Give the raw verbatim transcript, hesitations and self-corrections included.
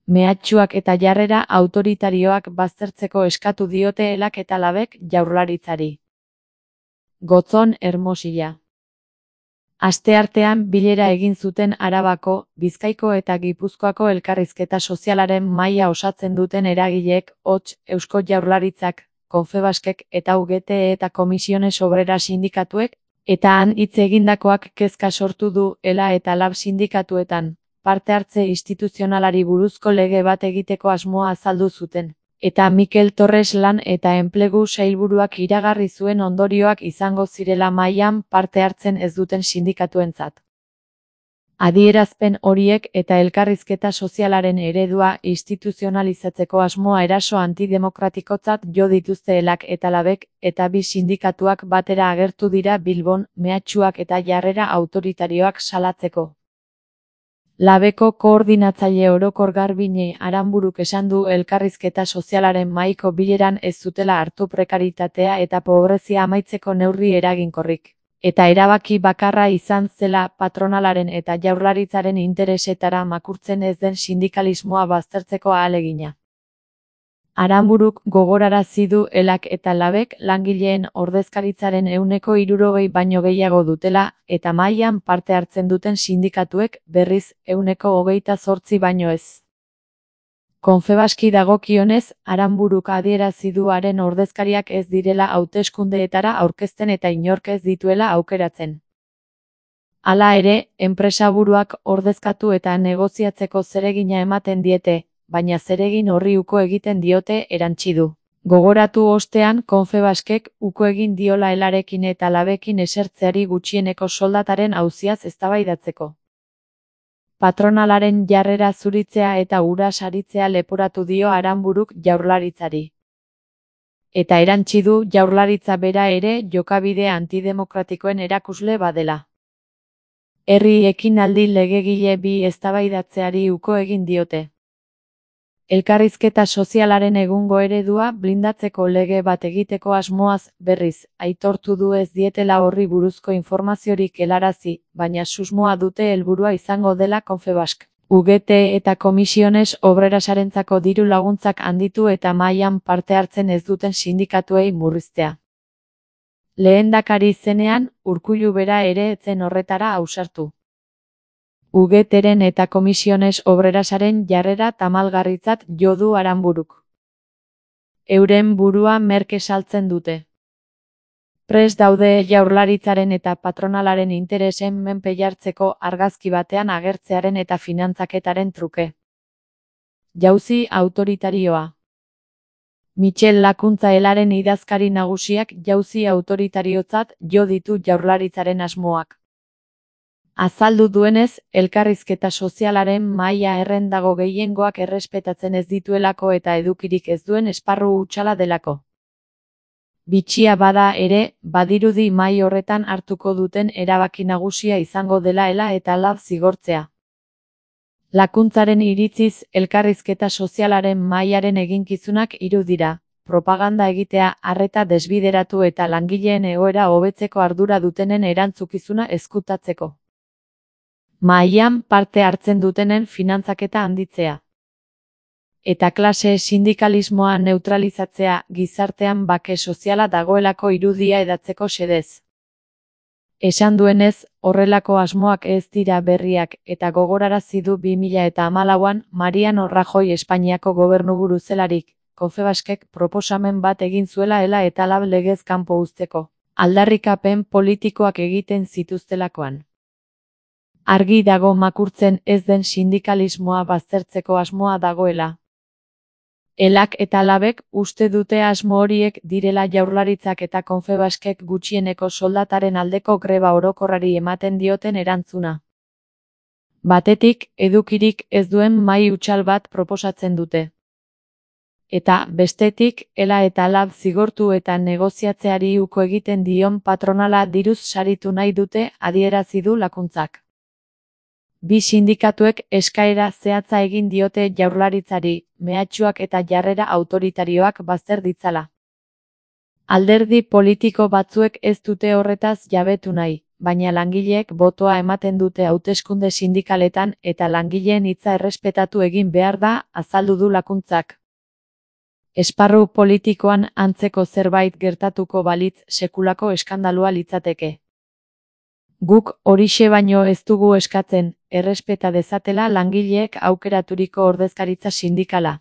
Mehatxuak eta jarrera autoritarioak baztertzeko eskatu diote Elak eta Labek Jaurlaritzari. Gotzon Hermosilla. Asteartean bilera egin zuten Arabako, Bizkaiko eta Gipuzkoako elkarrizketa sozialaren mahaia osatzen duten eragileek, hots, Eusko Jaurlaritzak, Confebaskek eta U G T eta Comisiones Obreras sindikatuek, eta han hitz egindakoak kezka sortu du Ela eta Lab sindikatuetan, parte hartze instituzionalari buruzko lege bat egiteko asmoa azaldu zuten. Eta Mikel Torres lan eta enplegu sailburuak iragarri zuen ondorioak izango zirela mahaian parte hartzen ez duten sindikatuentzat. Adierazpen horiek eta elkarrizketa sozialaren eredua instituzionalizatzeko asmoa eraso antidemokratikotzat jo dituzte Elak eta Labek, eta bi sindikatuak batera agertu dira Bilbon, mehatxuak eta jarrera autoritarioak salatzeko. Labeko koordinatzaile orokor Garbine Aranburuk esan du elkarrizketa sozialaren mahaiko bileran ez zutela hartu prekaritatea eta pobrezia amaitzeko neurri eraginkorrik, eta erabaki bakarra izan zela patronalaren eta Jaurlaritzaren interesetara makurtzen ez den sindikalismoa baztertzeko ahalegina. Aranburuk gogorarazi du Elak eta Labek langileen ordezkaritzaren ehuneko hirurogei baino gehiago dutela, eta mahaian parte hartzen duten sindikatuek, berriz, ehuneko hogeita zortzi baino ez. Confebaski dagokionez, Aranburuk adierazi du haren ordezkariak ez direla hauteskundeetara aurkezten eta inork ez dituela aukeratzen. Hala ere, enpresaburuak ordezkatu eta negoziatzeko zeregina ematen diete, baina zeregin horri uko egiten diote erantsi du. Gogoratu ostean Confebaskek uko egin diola Elarekin eta Labekin esertzeari gutxieneko soldataren auziaz eztabaidatzeko. Patronalaren jarrera zuritzea eta hura saritzea leporatu dio Aranburuk Jaurlaritzari. Eta erantsi du Jaurlaritza bera ere jokabide antidemokratikoen erakusle badela. Herri ekinaldi legegile bi eztabaidatzeari uko egin diote. Elkarrizketa sozialaren egungo eredua blindatzeko lege bat egiteko asmoaz, berriz, aitortu du ez dietela horri buruzko informaziorik helarazi, baina susmoa dute helburua izango dela Confebask. U G T eta Comisiones Obrerasarentzako diru laguntzak handitu eta mahaian parte hartzen ez duten sindikatuei murriztea. Lehendakari zenean, Urkullu bera ere ez zen horretara ausartu. U G T-ren eta Comisiones Obrerasaren jarrera tamalgarritzat jo du Aranburuk. Euren burua merke saltzen dute. Prest daude Jaurlaritzaren eta patronalaren interesen menpe jartzeko argazki batean agertzearen eta finantzaketaren truke. Jauzi autoritarioa. Michel Lakuntza Elaren idazkari nagusiak jauzi autoritariotzat jo ditu Jaurlaritzaren asmoak. Azaldu duenez, elkarrizketa sozialaren mahaia errendago gehiengoak errespetatzen ez dituelako eta edukirik ez duen esparru hutsala delako. Bitxia bada ere, badirudi mahai horretan hartuko duten erabaki nagusia izango dela Ela eta Lab zigortzea. Lakuntzaren iritziz, elkarrizketa sozialaren mahaiaren eginkizunak hiru dira, propaganda egitea, arreta desbideratu eta langileen egoera hobetzeko ardura dutenen erantzukizuna ezkutatzeko. Mahaian parte hartzen dutenen finantzaketa handitzea. Eta klase sindikalismoa neutralizatzea, gizartean bake soziala dagoelako irudia edatzeko xedez. Esan duenez, horrelako asmoak ez dira berriak, eta gogorarazi du bi mila eta hamalauan Mariano Rajoy Espainiako gobernuburu zelarik, Confebaskek proposamen bat egin zuela Ela eta Lab legez kanpo uzteko, aldarrikapen politikoak egiten zituztelakoan. Argi dago makurtzen ez den sindikalismoa baztertzeko asmoa dagoela. Elak eta Labek uste dute asmo horiek direla Jaurlaritzak eta Confebaskek gutxieneko soldataren aldeko greba orokorrari ematen dioten erantzuna. Batetik, edukirik ez duen mahai hutsal bat proposatzen dute. Eta, bestetik, Ela eta Lab zigortu eta negoziatzeari uko egiten dion patronala diruz saritu nahi dute, adierazi du Lakuntzak. Bi sindikatuek eskaera zehatza egin diote Jaurlaritzari, mehatxuak eta jarrera autoritarioak bazter ditzala. Alderdi politiko batzuek ez dute horretaz jabetu nahi, baina langileek botoa ematen dute hauteskunde sindikaletan eta langileen hitza errespetatu egin behar da, azaldu du Lakuntzak. Esparru politikoan antzeko zerbait gertatuko balitz sekulako eskandalua litzateke. Guk horixe baino ez dugu eskatzen, errespeta dezatela langileek aukeraturiko ordezkaritza sindikala.